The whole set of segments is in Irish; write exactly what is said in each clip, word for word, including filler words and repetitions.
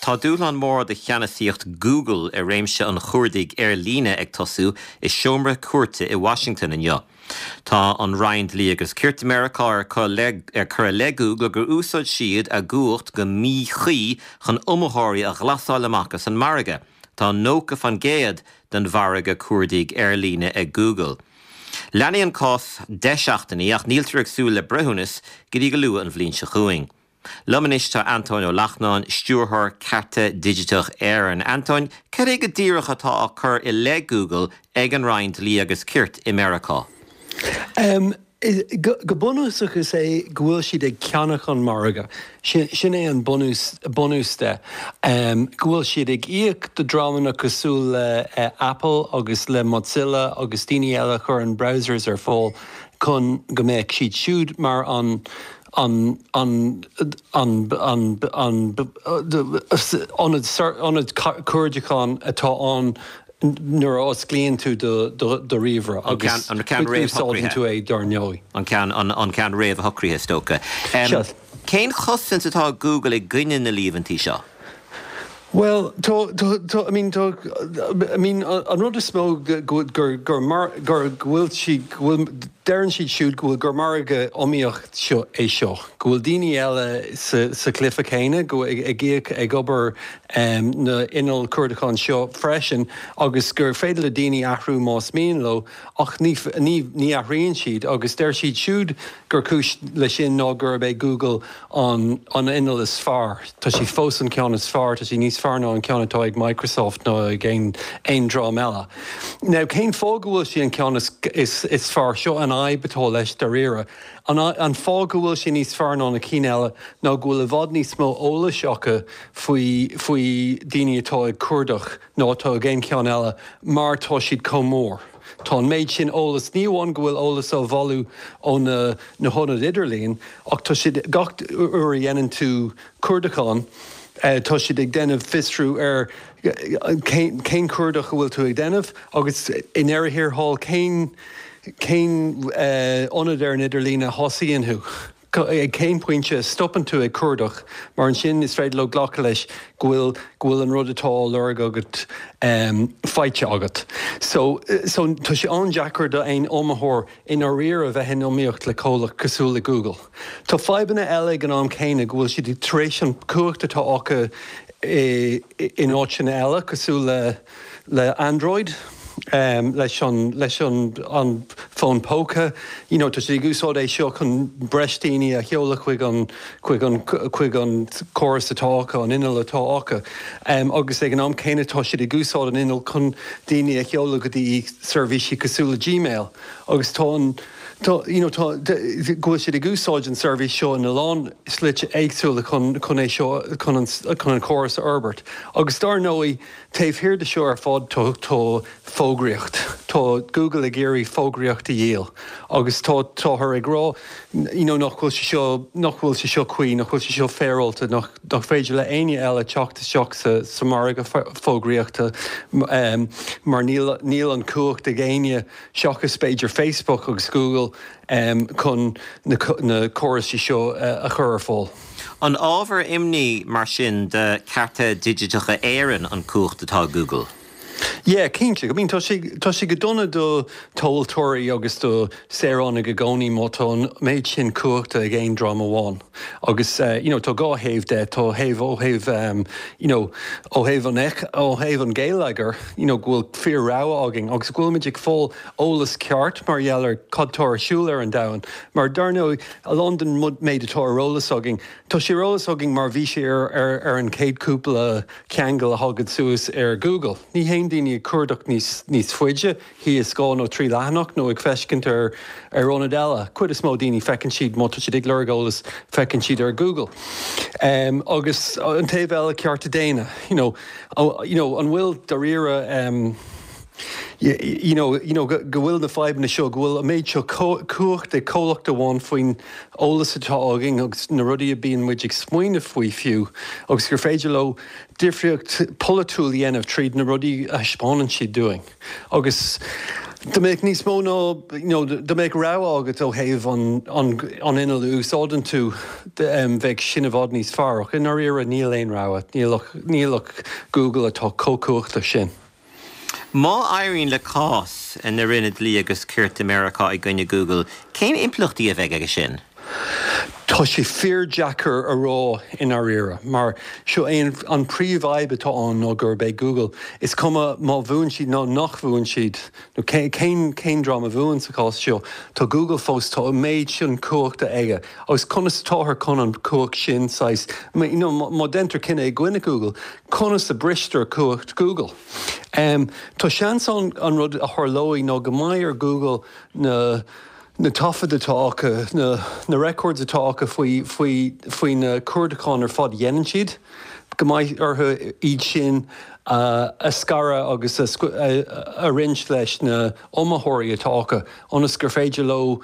Tá dúshlán mór do cheannasaíocht Google i réimse an chuardaigh ar líne ag tosú i seomra cúirte i Washington inniu. Tá an Roinn Dlí agus Cirt Meiriceá ar cur i leith Google gur úsáid siad a gcumhacht go míchuí chun iomaitheoirí a ghlasáil amach as an margadh. Tá nócha faoin gcéad den mhargadh cuardaigh ar líne ag Google. Leanfaidh an cás deich seachtainí ach níltear ag súil le breithiúnas go dtí go luath an bhliain seo chugainn. Liom anois tá Antóin Ó Lachtnáin, stiúrthóir Cearta Digiteach Éireann. Antóin, cad é go díreach atá á cur i leith Google ag an Roinn Dlí agus Cirt i Meiriceá? Um, go, go bunúsach is é go bhfuil siad ag ceannach an margadh. Sin, sin é an bunús, bunús de. Um, go bhfuil siad ag íoc do dhreamanna cosúil le uh, Apple agus le Mozilla agus daoine eile chur an browsers ar fáil chun go mbeadh siad siúd mar an an an an an an ionad ionad cuardacháin atá ann nuair a osclaíonn tú do do do ríomhaire agus an ceann úsáideann tú é dar ndóigh. An ceann an, an ceann réamhshocraithe is dócha. Um, Cén chosaint atá Google i gcoinne na líomhaintí seo? Well tá tá tá I mean tá I mean an rud is mó gur gur gur mar gur bhfuil si bhfuil deireann siad siúd go bhfuil gur margadh iomaíoch seo é seo. Go bhfuil daoine eile sa, sa chluiche céanna go ag ag íoc ag obair um, na innill cuardacháin seo freisin agus gur féidir le daoine athrú más mian leo ach ní, ní, ní athraíonn siad agus deir siad siúd gur cúis le sin ná gurb é Google an, an inneall is fearr. Tá sé fós an ceann is fearr, tá sé níos fearr ná an ceann atá ag Microsoft ná ag aon aon dream eile. Now cén fáth go bhfuil sé an ceann is, is, is fearr seo an fhadhb atá leis dáiríre. An, an fáth go bhfuil sé níos fearr ná na cinn eile ná go bhfuil i bhfad níos mó eolais acu faoi faoi daoine atá ag cuardach ná atá ag aon cheann eile mar tá siad chomh mór. Tá an méid sin eolas ní amháin go bhfuil eolas á bhailiú ó na na hionaid idirlín ach tá siad gach uair a dhéanann tú cuardachán, Uh, tá siad ag déanamh fiosrú ar cén cén cuardach a bhfuil tú ag déanamh agus i ndeireadh thiar thall cén cén uh, ionad ar an idirlíon a thosaíonn thú. Ag cén pointe stopann tú ag cuardach, mar ansin is féidir leo glacadh leis go bhfuil go bhfuil an rud atá á lorg agat um, faighte agat. So, so tá sé an-deacair do aon iomaitheoir i ndáiríre a bheith in iomaíocht le comhlacht cosúil le Google. Tá fadhbanna eile ag an am céanna go bhfuil siad tar éis an cumhacht atá acu in áiteanna eile cosúil le le Android, um, leis an leis an an fón póca you know, tá sé ag úsáid é seo chun breis daoine a sheoladh chuig an chuig an chuig an córas atá acu an inneall atá acu. Um, agus ag an am céanna tá siad ag úsáid an inneall chun daoine a sheoladh go dtí seirbhísí cosúil le Gmail. agus tá an Tá you know, tá go bhfuil siad ag úsáid an seirbhís seo ina lán slite éagsúla chun chun é seo chun an, chun an córas a fhorbairt. Agus dar ndóigh taobh thiar de seo ar fad tá tá fógraíocht. Tá Google ag iarraidh fógraíocht a dhíol. agus tá táthar ag rá you know, nach bhfuil sé seo nach bhfuil sé seo cuí, nach bhfuil sé seo féaráilte nach, nach féidir le éinne eile teacht isteach sa, sa margadh fógraíochta um, mar níl, níl an cumhacht ag éinne seachas b'fhéidir Facebook agus Google um, chun na, na córais seo uh, a chur ar fáil. An ábhar imní mar sin do Cearta Digiteacha Éireann an cumhacht atá Google. Yeah, cinnte, I mean tá sé tá sé go dona do thomhaltóirí agus do saoránaigh i gcónaí má tá an méid sin cumhachta ag aon dream amháin. Agus uh, you know, tá dhá thaobh de tá thaobh ó thaobh um, you know, ó thaobh an ó thaobh an gheilleagair you know, go bhfuil fíor-rogha againn agus go bhfuilimid ag fáil eolas ceart mar gheall ar cad tá ar siúl ar an domhan. Mar dar ndóigh a lán den méid atá ar eolas againn. Tá sé ar eolas againn mar bhí sé ar, ar, ar an chéad cúpla ceangal a thagann suas ar Google. Ní théann daoine ag cuardach níos níos faide, thíos dhá nó trí leathanach nó ag feiscint ar ar ionad eile. Cuid is mó daoine feiceann siad má tá siad ag lorg eolas feiceann siad ar Google. Um, agus an taobh eile cearta daonna, you know, oh, you know, an bhfuil dáiríre um, you, you know, you know, go bhfuil na fadhbanna seo go bhfuil an méid seo cumhacht ag comhlacht amháin faoin eolas atá againn agus na rudaí a bíonn muid ag smaoineamh faoi fiú, agus gur féidir leo difríocht polaitiúil a dhéanamh tríd na rudaí a thaispeánann siad dúinn. Agus Dá mbeadh níos mó ná you know, dá mbeadh rogha agat ó thaobh an, an, an inneall a úsáideann tú um, bheadh sin i bhfad níos fearr ach i ndáiríre níl aon rogha, níl ach, níl ach Google atá chomh cumhachtach sin. Má éiríonn le cás na Roinne Dlí agus Cirt i Meiriceá i gcoinne Google, cén impleachtaí a bheidh aige sin? Tá sé fíordheacair a rá i ndáiríre, mar seo é an príomhfhadhb atá ann ná gurb é Google. Is cuma má bhuann siad nó nach bhuann siad nó cén cén dream a bhuann sa chás seo, tá Google fós tá an méid sin cumhachta aige. Agus conas atáthar chun an cumhacht sin saghas má déantar cinneadh i gcoinne Google, conas a bristear cumhacht Google. Um, tá seans ann an rud a tharlóidh ná go mbeidh ar Google na na taifid atá acu, na, na records atá acu faoi, faoi, faoi na cuardacháin ar fad a dhéanann siad, go mbeidh orthu iad sin uh, a scaradh agus a, a, a roinnt leis na iomaitheoirí atá acu, ionas gur féidir leo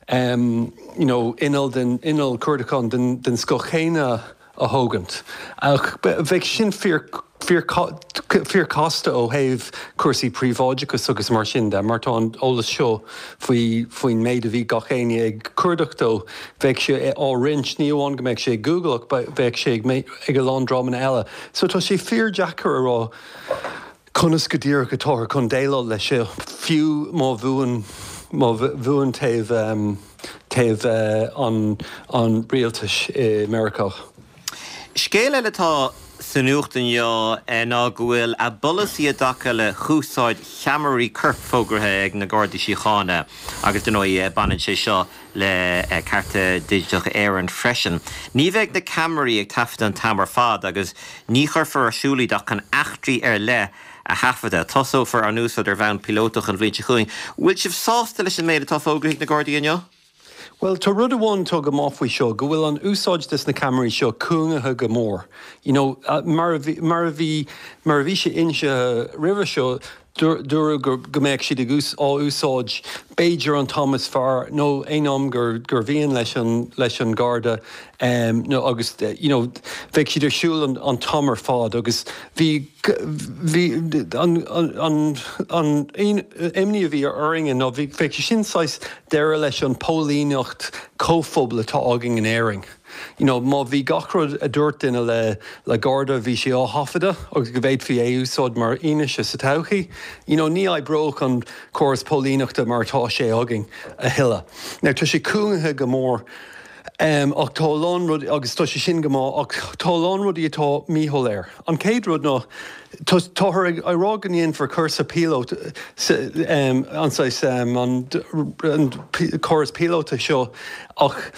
um, you know, inneall den inneall cuardacháin den, den scoth chéanna a thógaint. Ach bheadh sin fíor fíor casta ó thaobh cúrsaí príobháideachais agus mar sin de, mar tá an eolas seo faoi faoin méid a bhí gach éinne ag cuardach dó, bheadh sé á roinnt ní amháin go mbeadh sé ag Google ach bheadh sé ag a lán dreamanna eile. So tá sé fíordheacair a rá conas go díreach atáthar chun déileáil leis seo fiú má bhuann má bhuann taobh um, taobh uh, an, an rialtais i Meiriceá. Scéal eile atá sa nuacht inniu ná go bhfuil a bpolasaí i dtaca le húsáid cheamaraí coirp fógartha ag na Gardaí Síochána agus dar ndóigh baineann sé seo le Cárta Digiteach Éireann freisin. Ní bheidh na ceamaraí ag taifeadadh an t-am ar fad agus ní chuirfear ar siúl iad ach chun eachtraí ar leith a thaifeadadh. Tosófar an úsáid ar bhonn píolótach an bhliain seo chugainn. Bhfuil sibh sásta leis an méid atá fógartha ag na Gardaí inniu? Well, tá rud amháin atá go maith faoi seo, go bhfuil an úsáid des na ceamaraí seo cúngaithe go mór. You know, uh, mar a bhí mar a bhí mar a bhí sé inse roimhe seo dúradh go go mbeadh siad ag á úsáid b'fhéidir an t-am is fearr nó aon am gur gur mhian leis an leis an Garda um, nó agus you know, bheadh siad ar siúl an, an t-am ar fad agus bhí bhí an an an an imní a bhí orainn nó bhí bheadh sin saghas deireadh leis an póilíneacht comhphobail atá againn in Éirinn. You know, má bhí gach rud a dúirt duine le le Garda bhí sé á thaifeadadh agus go bhféadfaí é úsáid mar fhianaise sa todhchaí. You know, ní oibreodh an córas póilíneachta mar atá sé againn a thuilleadh. Now tá sé cúngaithe go mór Um, ach tá lán rud agus tá sé sin go maith ach tá lán rudaí atá míshoiléir. An chéad rud ná táthar ag rá go ndéanfar cúrsa píolót um, an um, an, an córas píolóta seo ach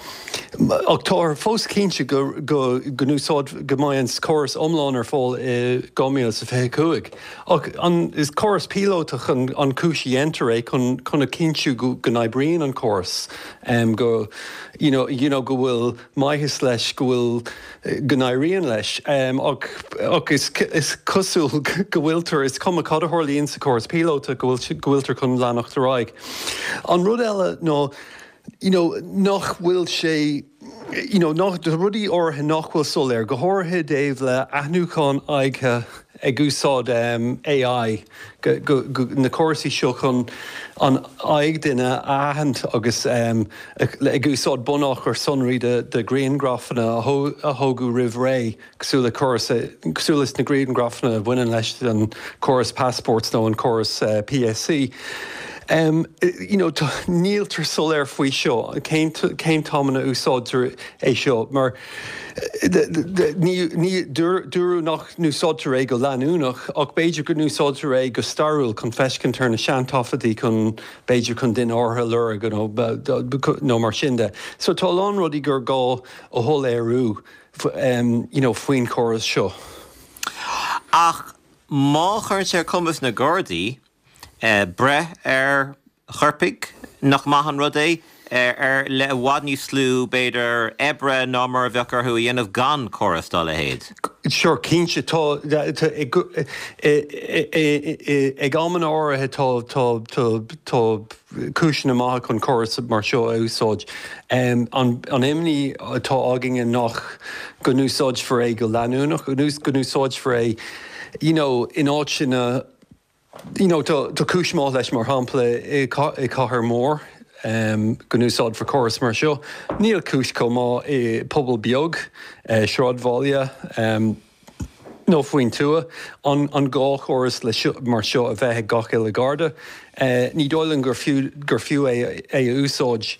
ach tá fós cinnte go go go n-úsáid go mbeidh an córas iomlán ar fáil i dhá mhíle is fiche cúig. Ach an is córas píolótach an, an chúis a dhéantar é chun chun a chinntiú go go n-oibríonn an córas um, go you know, you know, go bhfuil maitheas leis go bhfuil go n-éiríonn leis um, ach, ach is, is cosúil go bhfuiltear is cuma cad a tharlaíonn sa córas píolóta go bhfuiltear chun leanacht ar aghaidh. An rud eile ná you know, nach bhfuil sé you know, nach rudaí áirithe nach bhfuil soiléir, go háirithe i dtaobh le aithniúchán aghaidhe ag úsáid um, AI go, go, go, na córasaí seo chun an aghaidh duine a aithint agus um, ag úsáid bunachar sonraí de, de ghrianghrafanna a tógadh roimh ré cosúil le córas cosúil leis na grianghrafanna a bhaineann leis an córas passports nó an córas uh, PSC. Um, you know, níltear soiléir faoi seo cén cén t-am a úsáidtear é seo mar ní dúradh nach n-úsáidtear é go leanúnach ach b'fhéidir go n-úsáidtear é go stairiúil chun féachaint ar na seantaifeadtaí chun b'fhéidir chun duine áirithe a lorg nó mar sin de. So tá lán rudaí gur gá a shoiléiriú um, you know, faoin chóras seo. Ach má chuireann sé ar chumas na Gardaí Eh, breith ar choirpigh nach maith an rud é ar le i bhfad níos lú b'fhéidir oibre ná mar a bheadh orthu a dhéanamh gan córas dá leithéid. Sure cinnte tá ag amanna áirithe tá tá cúiseanna maithe chun córas mar seo a úsáid. An imní atá againne nach go n-úsáidfear é go leanúnach, go n-úsáidfear é you know, in áiteanna you know, tá tá cúis maith leis mar shampla i cathair mór um, go n-úsáidfear córas mar seo. Níl cúis chomh maith i pobal beag uh, sráidbhaile um, nó faoin tuath an, an gá chóras le seo, mar seo a bheith ag gach uile Garda. Uh, ní dóigh liom gur fiú gur fiú é, é a úsáid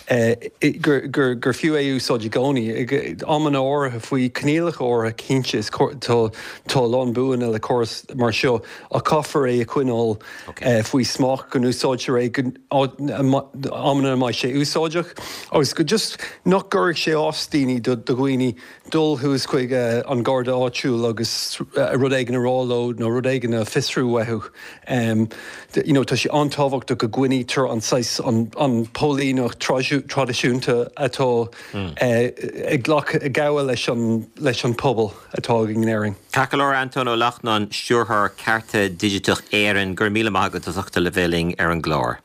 uh, gur, gur, gur fiú é úsáid i gcónaí. Amanna áirithe faoi choinníollacha áirithe cinnte is tá tá lán buanna le córas mar seo a caithfear é a choinneáil okay. uh, faoi smacht go n-úsáidtear é amanna mbeidh sé úsáideach agus go just nach gcuirfidh sé as daoine do dhaoine dul thuas chuig uh, an garda áitiúil agus uh, rud éigin a rá leo nó rud éigin a fhiosrú uathu. Um, you know, tá sé an-tábhachtach go gcoinnítear an saghas an, an póilíneacht traidisiúnta atá mm. uh, ag glach ag gabháil leis an, leis an pobal atá in Éirinn. Ceart Anton Ó Lachtnáin stiúrthóir Cearta Digiteach Éireann gur míle maith agat as ucht a bheith linn ar an gclár.